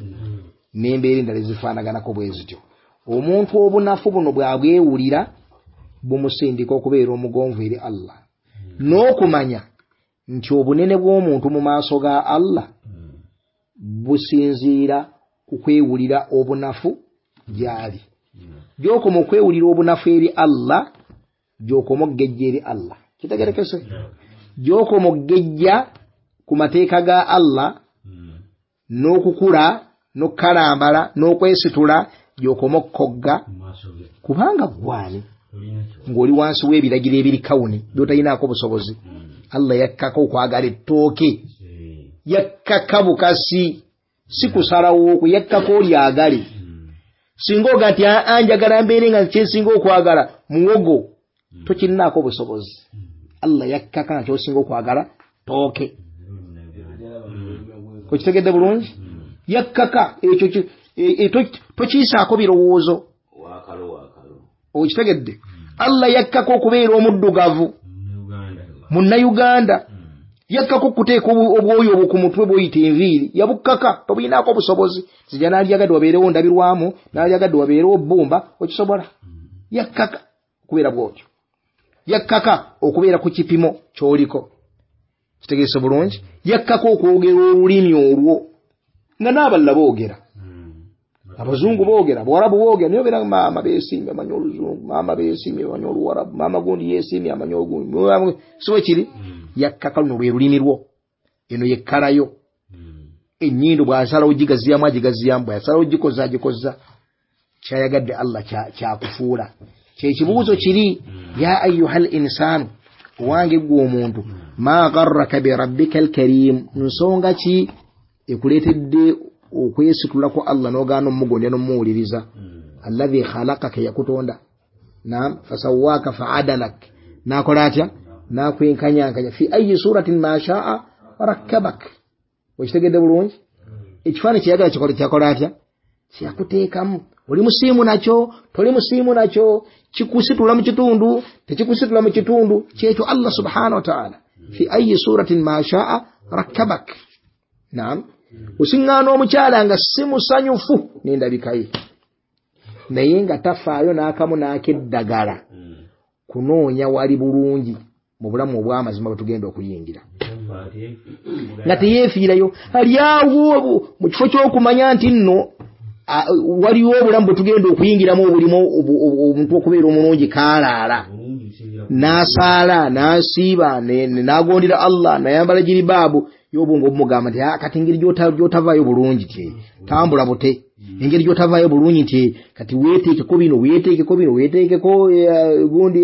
N'embeera endala ezifaanaganako bwe zityo. Omuntu obunafu buno bw'abwewulira bumusindika okubeera omugonvu eri Allah n'okumanya nti obunene bw'omuntu mu maaso ga Allah businziira ku kwewulira obunafu gy'ali. Gy'okoma okwewulira obunafu eri Allah, gy'okoma okugejja eri Allah. Kitegerekese? Gy'okoma okugejja ku mateeka ga Allah n'okukula n'okukalambala n'okwesitula, gy'okoma okukogga kubanga gwani ng'oli wansi w'ebiragiro ebiri kawuni by'otalinaako busobozi. Allah yakkako okwagala ettooke, yakkaka bukasi, si kusalawo okwo, yakkako olyagale. Singa oga nti aa njagala mbeere nga kyensinga okwagala muwogo, tokirinaako busobozi. Allah yakkaka nga ky'osinga okwagala ttooke. Okitegedde bulungi? Yakkaka ekyo tokiyisaako birowoozo. Okitegedde? Allah yakkaka okubeera omuddugavu munnayuganda, yakkaka okuteeka obwoyo obwo ku mutwe bw'oyita enviiri, yabukkaka, tobulinaako obusobozi. Zijja n'alyagadde wabeerewo ndabirwamu, n'alyagadde wabeerewo bbumba, okisobola? Yakkaka okubeera bw'otyo, yakkaka okubeera ku kipimo ky'oliko. Kitegeese bulungi? Yakkaka okwogera olulimi olwo nga n'abalala boogera, abazungu boogera, abawarabu boogera, naye obeera maama beesiimye amanyi oluzungu, maama beesiimye amanyi oluwarabu, maama gundi yeesiimye amanyi ogundi, si bwe kiri? Yakkaka luno lwe lulimi lwo, eno yekkalayo. Ennyindo bw'asalawo gigaziyamu agigaziyamu, bw'asalawo gikoza agikoza. Kyayagadde Allah kyakufuula. Kyekibuuzo kiri, ya ayyuhal insaanu, owange ggwe omuntu, ma gharraka bi rabbika alkarim, nsonga ki ekuleetedde okwesitulako Allah n'ogaana omugondera n'omuwuliriza? Alladhi khalaqaka, yakutonda, naam, fasawwaaka fa'adalak, n'akola atya? N'akwenkanyankanya. Fi ayi suratin ma sha'a rakkabak. Okitegedde bulungi? Ekifaananyi kyeyagala kikola kyakola atya? Kyakuteekamu. Oli musiimu nakyo, toli musiimu nakyo, kikusitula mu kitundu, tekikusitula mu kitundu, kyekyo Allah subhanahu wa ta'ala. Fi ayi suratin ma sha'a rakkabak. Naam. Osiŋŋaana omukyala nga si musanyufu n'endabika ye, naye nga tafaayo n'akamu n'akeddagala kunoonya wali bulungi mu bulamu obw'amazima bwe tugenda okuyingira, nga teyeefiirayo ali awo mu kifo ky'okumanya nti nno waliwo obulamu bwe tugenda okuyingiramu obulimu omuntu okubeera omulungi kaalaala, n'asaala n'asiiba n'agondera Allah n'ayambala jiribaabu. Y'obwongo obumugamba nti kati engeri gy'otavaayo bulungi ti tambula bute, engeri gy'otavaayo bulungi nti kati weeteekeko bino, weeteekeko bino, weeteekeko gundi.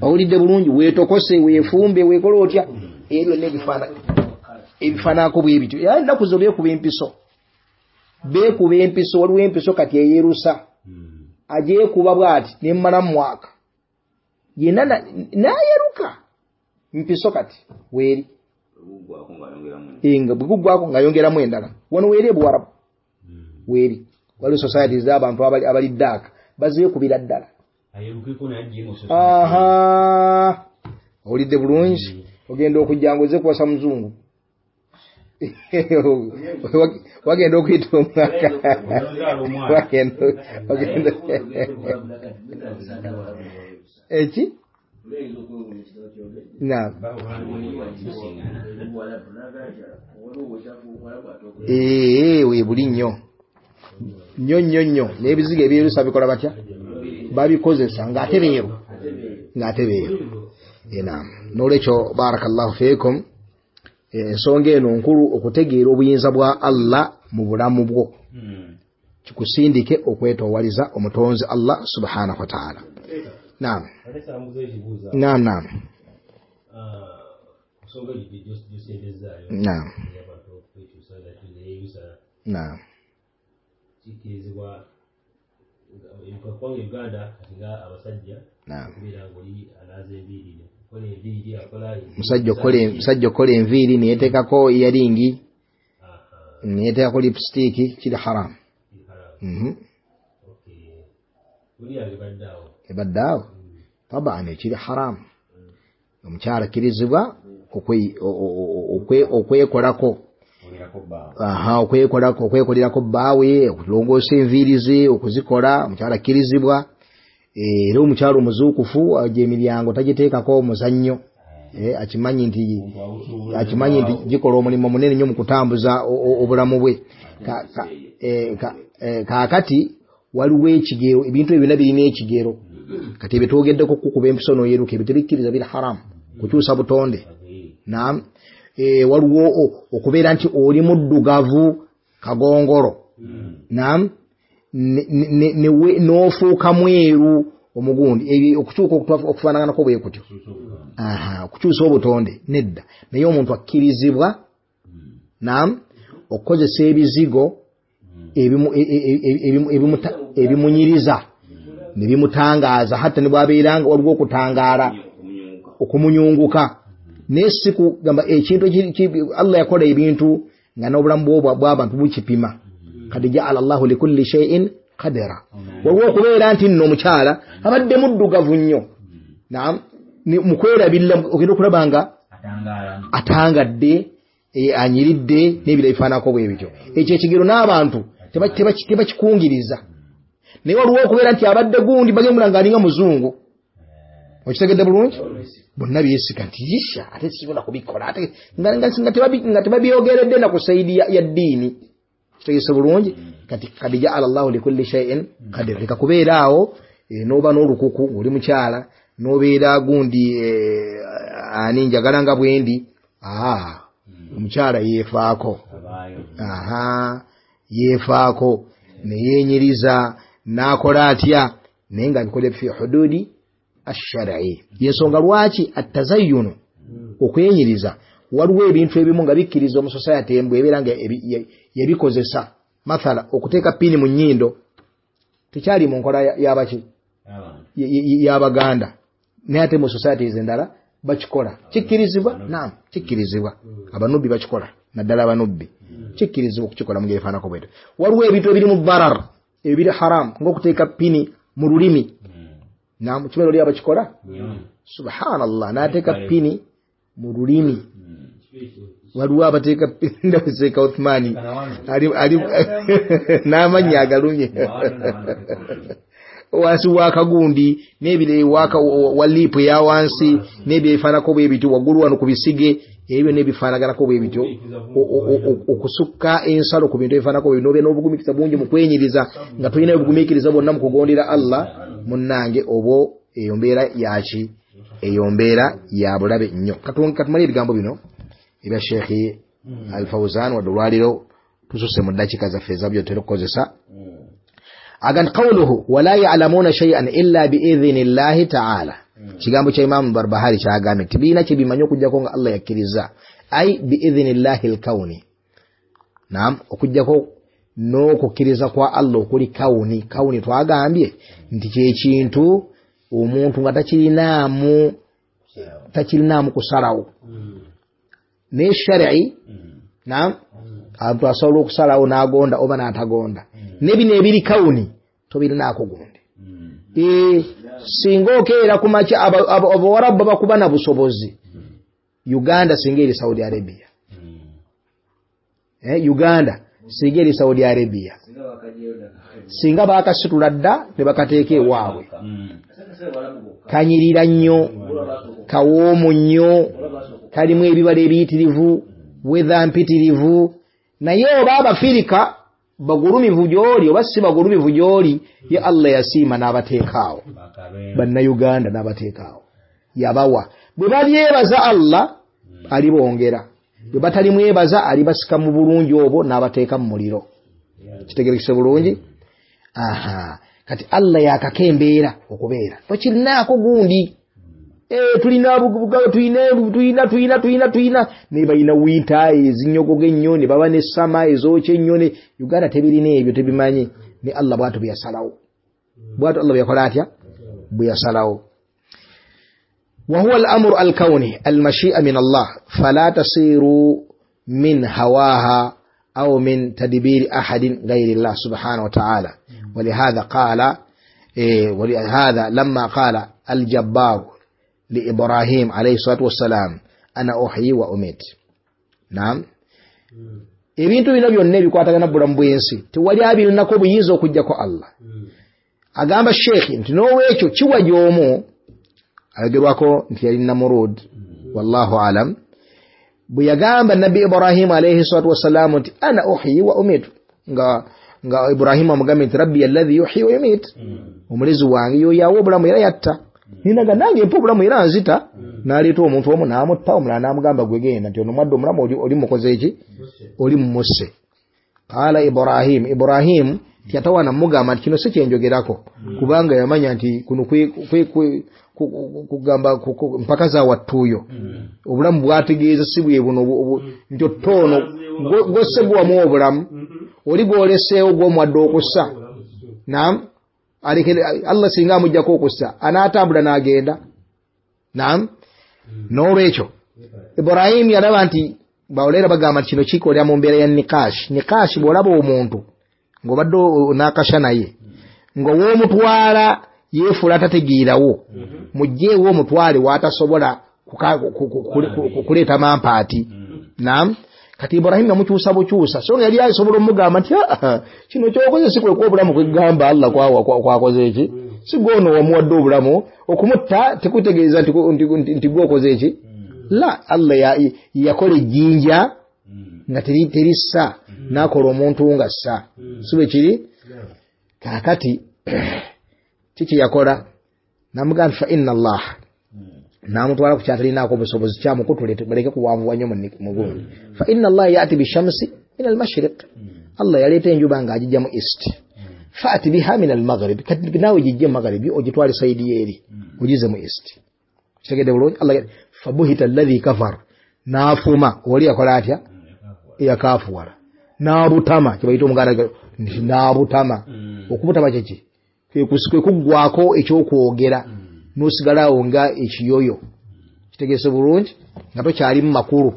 Owulidde bulungi? Weetokose, weefumbe, weekole otya, ebyo byonna ebifaananako bwe bityo. Era ennaku zo beekuba empiso, beekuba empiso. Waliwo empiso kati eyeerusa, agyekuba bw'ati nemmala mu mwaka yenna n'ayeruka mpiso kati weeri nga bwe guggwako ng'ayongeramu endala. Wano weeri ebuwarabu weeri waliwo societies z'abantu abali ddaaka bazeekubira ddala. Aha, owulidde bulungi? Ogenda okujja ng'ozze kuwasa muzungu, wagenda okuyita omwaka, wagenda eki Naam. Eh webuli nnyo nnyo nnyo nnyo n'ebizigo ebyerusa bikola batya babikozesa ng'ate beeru ng'ate beeru. Naam. N'olwekyo barakallahu fiikum, ensonga eno nkulu okutegeera obuyinza bwa Allah mu bulamu bwo kikusindike okwetoowaliza omutonzi Allah subhanahu wa ta'ala. Naam. Naam naam. Naam. Naam. Kikkirizibwa Uganda nga abasajja kubeera ng'oli anaaza enviiri okola enviiri akola musajja okola musajja okola enviiri neyeteekako eyaringi neyeteekako lipstick kiri haram. Mhm. Ebadde awo taban ekiri haram. Omukyala akkirizibwa okwekolako aha okwekolako okwekolerako bbaawe okulongoosa enviiri ze okuzikola omukyala akkirizibwa. Era omukyala omuzuukufu agyo emiryango tagiteekako omuzannyo, akimanyi nti akimanyi nti gikola omulimu munene nnyo mu kutambuza obulamu bwe. Kaakati waliwo ekigero, ebintu ebyo byonna birina ekigero. Kati ebyo twogeddeko kukuba empiso n'oyeruka ebyo tebikkiriza biri haramu kukyusa butonde. Naam. Waliwo okubeera nti oli muddugavu kagongolo. Naam. N'ofuuka mweru omugundi okukyuka okufaanaganako bwe kutyo. Aha, okukyusa obutonde nedda. Naye omuntu akkirizibwa naam okukozesa ebizigo ebimunyiriza ne bimutangaaza hatta ne bw'abeera nga waliwo okutangaala okumunyunguka. Naye si kugamba ekintu Allah yakola ebintu nga n'obulamu bw'abantu bukipima. Kad ja'ala Allahu likulli shay'in qadara. Waliwo okubeera nti nno omukyala abadde muddugavu nnyo. Naam, mukwerabirira ogenda okulaba nga atangadde anyiridde n'ebirala bifaananako bwe bityo. Ekyo ekigero n'abantu tebakikungiriza. Naye waliwo okubeera nti abadde gundi bagemula ng'alinga muzungu. Okitegedde bulungi? Bonna beesika nti yisha ate sisobola kubikola ate nga tebabyogeredde na ku sayidi ya ddiini. Kitegese bulungi? Kati kad ja'ala Allahu likulli shay'in qadara. Leka kubeera awo n'oba n'olukuku ng'oli mukyala n'obeera gundi ani njagala nga bwendi. Aa, omukyala yeefaako. Aha, yeefaako ne yeenyiriza n'akola atya naye ng'abikola fi hududi ash-shar'i. Yensonga lwaki at-tazayyunu okwenyiriza waliwo ebintu ebimu nga bikkiriza mu society embwe ebeera nga yabikozesa. Mathala okuteeka pini mu nnyindo tekyali mu nkola y'abaki y'Abaganda, naye ate mu societies endala bakikola. Kikkirizibwa? Naam, kikkirizibwa. Abanubbi bakikola, naddala abanubbi kikkirizibwa okukikola mu ngeri efaananako bwetyo. Waliwo ebintu ebiri mu darar ebiri haram ng'okuteeka pini mu lulimi. Naam, kibeera oli abakikola? Subhanallah, n'ateeka pini mu lulimi. Waliwo abateeka pini ndaseeka Uthmani ali ali n'amannya agalumye wansi w'akagundi n'ebire waka wa lipu ya wansi n'ebyo ebifaananako bwe bityo waggulu wano ku bisige ebyo n'ebifaanaganako bwe bityo okusukka ensalo ku bintu ebifaananako bwe bityo n'obeera n'obugumiikiriza bungi mu kwenyiriza nga tolina obugumiikiriza bwonna mu kugondera Allah munnange obwo eyo mbeera yaki eyo mbeera ya bulabe nnyo. Katumale ebigambo bino ebya Sheikh Al-Fawzan wadde olwaliro tususe mu ddakiika zaffe ezabyo tutera okukozesa. Agan qawluhu wala ya'lamuna shay'an illa bi'idhni Allahi ta'ala. Kigambo kya Imam Barbahari kyagambye nti birina kye bimanyi okuggyako nga Allah yakkiriza, ai bi'idhni Allahi al-kawni. Naam, okuggyako n'okukkiriza kwa Allah okuli kawuni. Kawuni twagambye nti kye kintu omuntu nga takirinaamu takirinaamu kusalawo. Naye shari'i, naam, abantu asobola okusalawo n'agonda oba n'atagonda. Ne bino ebiri kawuni tobirinaako gundi. Ee, singa okeera ku makya abawarabu bakuba na busobozi. Uganda singa eri Saudi Arabia. Eh, Uganda singa eri Saudi Arabia. Singa bakasitula dda ne bakateeka ewaabwe. Kanyirira nnyo, kawoomu nnyo, kalimu ebibala ebiyitirivu, weather mpitirivu. Naye oba Abafirika bagulumivu gy'oli oba si bagulumivu gy'oli, ye Allah yasiima n'abateekaawo. Bannayuganda n'abateekaawo, yabawa. Bwe balyebaza Allah alibongera, bwe batalimwebaza alibasika mu bulungi obwo n'abateeka mu muliro. Kitegerekese bulungi? Aha, kati Allah yakaka embeera okubeera, tokirinaako gundi. Eh, tulina bugaga, tulina tulina tulina tulina tulina ne balina winter ezinyogoga ennyo, ne baba ne summer ezookya ennyo. Ne Uganda tebirina ebyo, tebimanyi. Ne Allah bw'atyo bwe yasalawo, bw'atyo Allah bwe yakola atya, bwe yasalawo. وهو الأمر الكوني المشيئة من الله، فلا تصير من هواها أو من تدبير أحد غير الله سبحانه وتعالى. ولهذا قال إيه ولهذا لما قال الجبار لإبراهيم عليه الصلاة والسلام أنا أحيي وأميت. نعم. Ebintu bino byonna ebikwatagana bulamu bw'ensi tewali abirinako obuyinza okuggyako Allah. Agamba Sheikh nti n'olwekyo kiwa gy'omu ayogerwako nti yali Namurud, wallahu alam, bwe yagamba Nabbi Ibrahimu alayhi salatu wassalamu nti ana uhyi wa umitu, nga nga Ibrahimu amugambye nti rabbi alladhi yuhyi wa yumit, omulezi wange yoyo awa obulamu era yatta, ninaga nange mpa obulamu era nzita. N'aleeta omuntu omu n'amutta, omulala n'amugamba gwe genda nti ono mwadde omulamu oli mukoze ki, oli mumusse. Qaala Ibrahim, Ibrahimu tiyatawaana mugamba nti kino si kyenjogerako, kubanga yamanya nti kuno kugamba mpaka za wattuuyo obulamu bwategeeza si bwe buno, nti ottono gwosse gwamu obulamu oli gwoleseewo gw'omuwadde okussa. Naam, aleke Allah singa amuggyako okussa anaatambula n'agenda. Naam, n'olwekyo Ibrahimu yalaba nti bawolera bagamba nti kino kikolera mu mbeera ya nikashi. Nikashi bw'olaba omuntu ng'obadde onaakasha naye nga w'omutwala yeefuula atategeerawo, muggyeewo omutwale w'atasobola kuleeta mampaati. Naam, kati Ibrahimu yamukyusa bukyusa, so nga yali asobola omugamba nti kino ky'okoze si kwekuwa obulamu kwegamba Allah kwakoze eki, si gwono wamuwadde obulamu, okumutta tekutegeeza nti gwokoze eki. La, Allah yakola ejjinja nga terissa, n'akola omuntu nga ssa, si bwe kiri? Kaakati kiki yakola? Namugamba fa inna Allah, n'amutwala ku kyatalinaako obusobozi, kyamukutule baleke kuwanvuwa nnyo mu gundi. Fa inna Allah yati bishamsi min almashriq, Allah yaleeta enjuba ng'agijja mu east, faati biha min almaghrib, kati naawe gijje mu magharibi ogitwale sayidi yeeri ogize mu east. Kitegedde bulungi? Allah fabuhita alladhi kafar, n'afuma oli yakola atya, eyakaafuwala, n'abutama, kye bayita omuganda nti n'abutama. Okubutama kyeki? Kwe kuggwako ekyokwogera n'osigalawo nga ekiyoyo. Kitegeese bulungi? Nga tokyalimu makulu,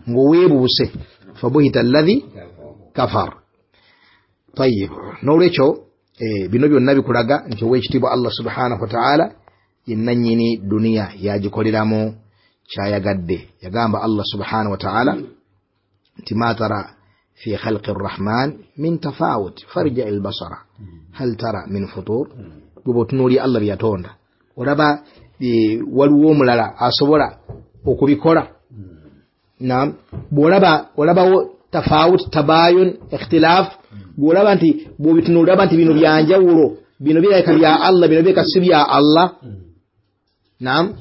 ng'oweebuuse. Fabuhita alladhi kafar. Tayyib, n'olwekyo bino byonna bikulaga nti ow'ekitiibwa Allah subhanahu wa ta'ala ye nannyini duniya, yagikoleramu kyayagadde. Yagamba Allah subhanahu wa ta'ala nti ma tara fi khalqi rrahman min tafawut farji albasara hal tara min futur. Bw'oba otunuulira Allah bye yatonda olaba waliwo omulala asobola okubikola. Naam, bw'olaba olabawo tafawut, tabayun, ikhtilaf, bw'olaba nti bw'obitunuulira olaba nti bino byanjawulo, bino birabika bya Allah, bino birabika si bya Allah. Naam,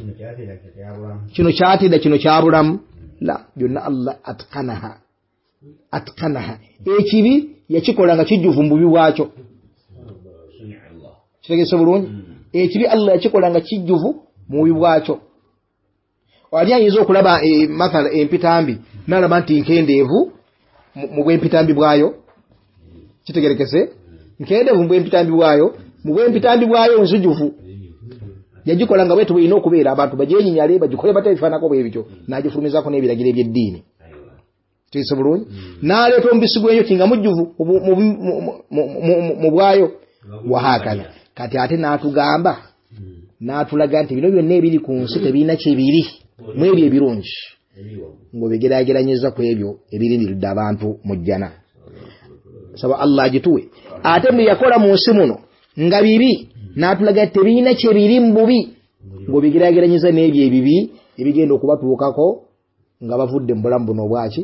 kino kyatidda, kino kyabulamu. La, byonna Allah atqanaha, atqanaha. Ekibi yakikola nga kijjuvu mu bubi bwakyo. Kitegeese bulungi? Ekibi Allah yakikola nga kijjuvu mu bubi bwakyo. Wali ayinza okulaba mathala empitambi n'alaba nti nkendeevu mu bw'empitambi bwayo. Kitegerekese? Nkendeevu mu bw'empitambi bwayo, mu bw'empitambi bwayo nzijuvu. Yagikola nga bwetu bw'erina okubeera, abantu bagyenyinyale bagikole batya ebifaananako bwe bityo, n'agifulumizaako n'ebiragiro eby'eddiini. Kitegeese bulungi? N'aleeta omubisi gw'enjuki nga mujjuvu mu bwayo. Wahakadha. Kati ate n'atugamba, n'atulaga nti bino byonna ebiri ku nsi tebirina kye biri mu ebyo ebirungi, ng'obigeraageranyiza ku ebyo ebirindiridde abantu mu jjana. Saba Allah agituwe. Ate bwe yakola mu nsi muno nga bibi, N'atulaga tebirina kye biri mu bubi ng'obigeraageranyiza n'ebyo ebibi ebigenda okubatuukako nga bavudde mu bulamu buno obwaki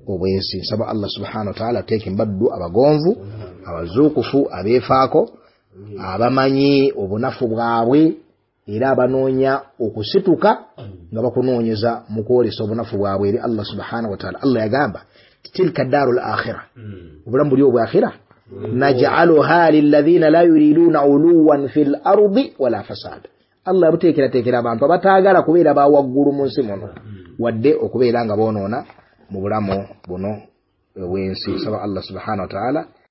obw'ensi. Nsaba Allah subhanahu wa ta'ala ateeke mbaddu abagonvu, abazuukufu, abeefaako, abamanyi obunafu bwabwe era abanoonya okusituka nga bakunoonyeza mu kwolesa obunafu bwabwe eri Allah subhanahu wa ta'ala. Allah yagamba tilka daarul akhira, obulamu buli obwakhira, naj'aluha lilladhina la yuriduna uluwan fil ardi wala fasad. Allah yabuteekerateekera abantu abataagala kubeera ba waggulu mu nsi muno wadde okubeera nga boonoona mu bulamu buno obw'ensi. Nsaba Allah subhanahu wa ta'ala.